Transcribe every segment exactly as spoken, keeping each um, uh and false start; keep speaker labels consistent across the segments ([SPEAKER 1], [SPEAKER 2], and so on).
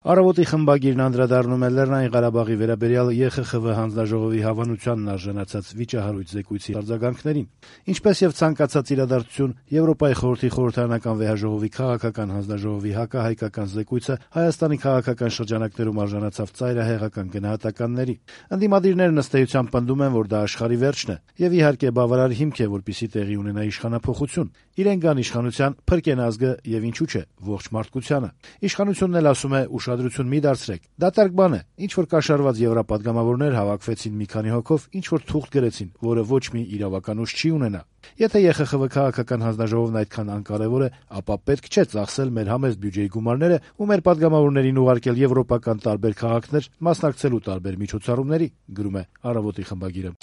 [SPEAKER 1] Առավոտի խմբագիրն անդրադառնում է Լեռնային Ղարաբաղի վերաբերյալ Է Խ Խ Վ հանձնաժողովի հավանությանն արժանացած վիճահարույց զեկույցի արձագանքներին, ինչպես եւ ցանկացած իրադարձություն Եվրոպայի խորհրդի խորհրդարանական վեհաժողովի քաղաքական հանձնաժողովի հակահայկական զեկույցը Հայաստանի քաղաքական շրջանակներում արժանացավ ծայրահեղական գնահատականների։ Ընդդիմադիրներն ըստ էության պնդում են, որ դա աշխարհի վերջն է, եւ իհարկե բավարար հիմք է, որպեսզի տեղի ունենա իշխանափոխություն։ Իրենք գան իշխանության, փրկեն ազգը եւ ինչու՞ չէ, ողջ մարդկությանը։ Իշխանությունն էլ ասում է՝ ուշադրություն մի դարձրեք։ Դատարկ բան է, ինչ որ կաշառված եվրապատգամավորներ հավաքվեցին մի քանի հոգով, ինչ որ թուղթ գրեցին, որը ոչ մի իրավական ուժ չի ունենա։ Եթե Է Խ Խ Վ քաղաքական հանձնաժողովն այդքան անկարևոր է, ապա պետք չէ ծախսել մեր համեստ բյուջեի գումարները ու մեր պատգամավորներին ուղարկել եվրոպական տարբեր քաղաքներ մասնակցելու տարբեր միջոցառումների, գրում է Առավոտի խմբագիրը։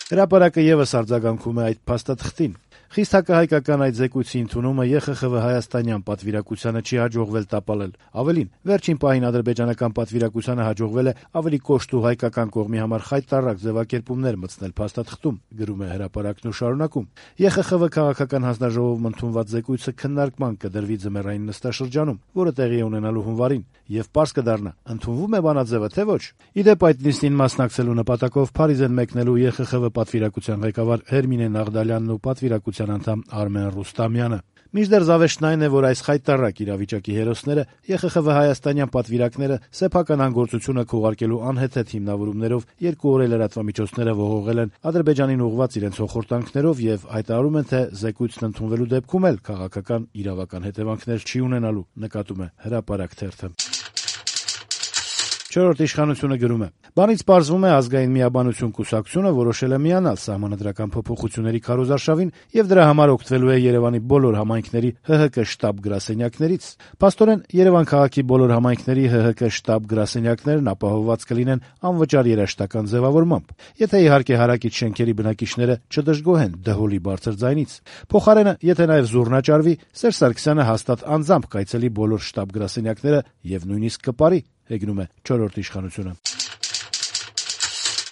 [SPEAKER 1] Հրապարակը եւս արձագանքում է այդ փաստաթղթին։ Խիստ հակահայկական այդ զեկույցի ընդունումը Է Խ Խ Վ հայաստանյան պատվիրակությանը չի հաջողվել տապալել։ Ավելին, վերջին պահին ադրբեջանական պատվիրակությանը հաջողվել է ավելի կոշտ ու հայկական կողմի համար խայտառակ ձևակերպումներ մտցնել փաստաթղթում, գրում է հրապարակն ու շարունակում։ Է Խ Խ Վ քաղաքական հանձնաժողովում ընդունված զեկույցը քննարկման կդրվի ձմեռային նստաշրջանում, որը տեղի է ունենալու հունվարին, եւ պարզ կդառնա՝ ընդունվում է բանաձևը, թե ոչ։ Ի դեպ, այդ նիստին մասնակցելու նպատակով Փարիզ են մեկնելու Է Խ Խ Վ պատվիրակության ղեկավար Հերմինե Նաղդալյանն ու պատվիրակության անդամ Արմեն Ռուստամյանը։ Մինչդեռ զավեշտն այն է, որ այս խայտառակ իրավիճակի հերոսները Է Խ Խ Վ հայաստանյան պատվիրակները սեփական անգործությունը քողարկելու անհեթեթ հիմնավորումներով երկու օր էլ լրատվամիջոցները ողողել են Ադրբեջանին ուղղված իրենց հոխորտանքներով եւ հայտարարում են, թե զեկույցն ընդունվելու դեպքում էլ քաղաքական իրավական հետևանքներ չի ունենալու, նկատում է Հրապարակ թերթը։ Չորրորդ իշխանությունը գրում է. «Բանից պարզվում է ազգային միաբանություն կուսակցությունը որոշել է միանալ սահմանադրական փոփոխությունների քարոզարշավին եւ դրա համար օգտվելու է Երևանի բոլոր համայնքների Հ Հ Կ շտաբ գրասենյակներից։ Փաստորեն Երևան քաղաքի բոլոր համայնքների Հ Հ Կ շտաբ գրասենյակներն ապահովված կլինեն անվճար երաժշտական ձևավորմամբ, եթե իհարկե հարակից շենքերի բնակիչները չդժգոհեն դհոլի բարձր ձայնից։ Փոխարենը, եթե նաեւ զուռնաճարվի, Սերժ Սարգսյանը հաստատ անձամբ կայցելի բոլոր շտաբ գրասենյակները եւ նույնիսկ կպարի», հեգնում է չորրորդ իշխանությունը։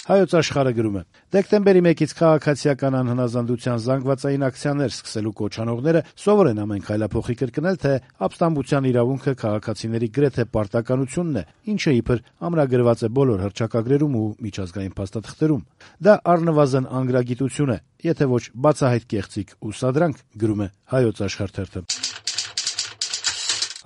[SPEAKER 1] Հայոց Աշխարհը գրում է. «Դեկտեմբերի մեկից քաղաքացիական անհնազանդության զանգվածային ակցիաներ սկսելու կոչ անողները սովոր են ամեն քայլափոխի կրկնել, թե ապստամբության իրավունքը քաղաքացիների գրեթե պարտականությունն է, ինչը իբր ամրագրված է բոլոր հռչակագրերում ու միջազգային փաստաթղթերում։ Դա առնվազն անգրագիտություն է, եթե ոչ բացահայտ կեղծիք ու սադրանք», գրում է Հայոց Աշխարհ թերթը։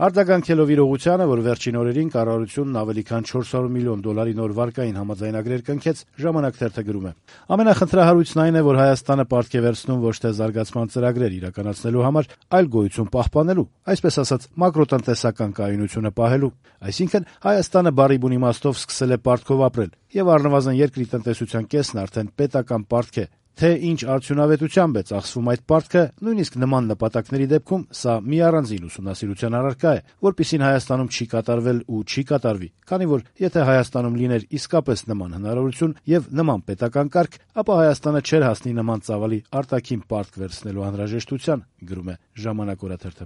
[SPEAKER 1] Արձագանքելով իրողությանը, որ վերջին օրերին կառավարությունն ավելի քան չորս հարյուր միլիոն դոլարի նոր վարկային համաձայնագրեր կնքեց, Ժամանակ թերթը գրում է. «Ամենախնդրահարույցն այն է, որ Հայաստանը պարտք է վերցնում ոչ թե զարգացման ծրագրեր իրականացնելու համար, այլ գոյություն պահպանելու, այսպես ասած, մակրոտնտեսական կայունությունը պահելու։ Այսինքն Հայաստանը բառի բուն իմաստով սկսել է պարտքով ապրել, եւ առնվազն երկրի տնտեսության կեսն արդեն պետական պարտք է։ Թե ինչ արդյունավետությամբ է ծախսվում այդ պարտքը, նույնիսկ նման նպատակների դեպքում սա մի առանձին ուսումնասիրության առարկա է, որպիսին Հայաստանում չի կատարվել ու չի կատարվի, քանի որ եթե Հայաստանում լիներ իսկապես նման հնարավորություն եւ նման պետական կարգ, ապա Հայաստանը չէր հասնի նման ծավալի արտաքին պարտք վերցնելու անհրաժեշտության», գրում է Ժամանակ օրաթերթը։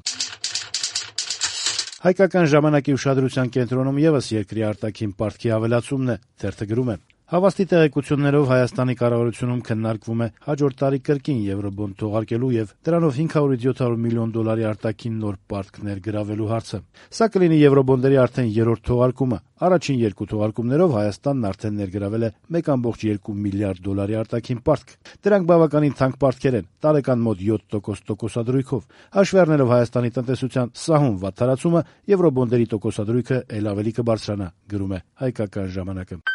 [SPEAKER 1] Հայկական ժամանակի ուշադրության կենտրոնում եւս երկրի արտաքին պարտքի ավելացումն է, թերթը գրում է. «Հավաստի տեղեկություններով Հայաստանի կառավարությունում քննարկվում է հաջորդ տարի կրկին եվրոբոնդ թողարկելու եւ դրանով հինգ հարյուր յոթ հարյուր միլիոն դոլարի արտաքին նոր պարտք ներգրավելու հարցը։ Սա կլինի եվրոբոնդերի արդեն երրորդ թողարկումը։ Առաջին երկու թողարկումներով Հայաստանն արդեն ներգրավել է մեկ կόμma երկու միլիարդ դոլարի արտաքին պարտք։ Դրանք բավականին թանկ պարտքեր են, տարեկան մոտ յոթ տոկոս տոկոսադրույքով։ Հաշվի առնելով Հայաստանի տնտեսության սահուն վատթարացումը, եվրոբոնդերի տոկոսադրույքը ել ավելի կբարձրանա», գրում է Հայկական ժամանակը։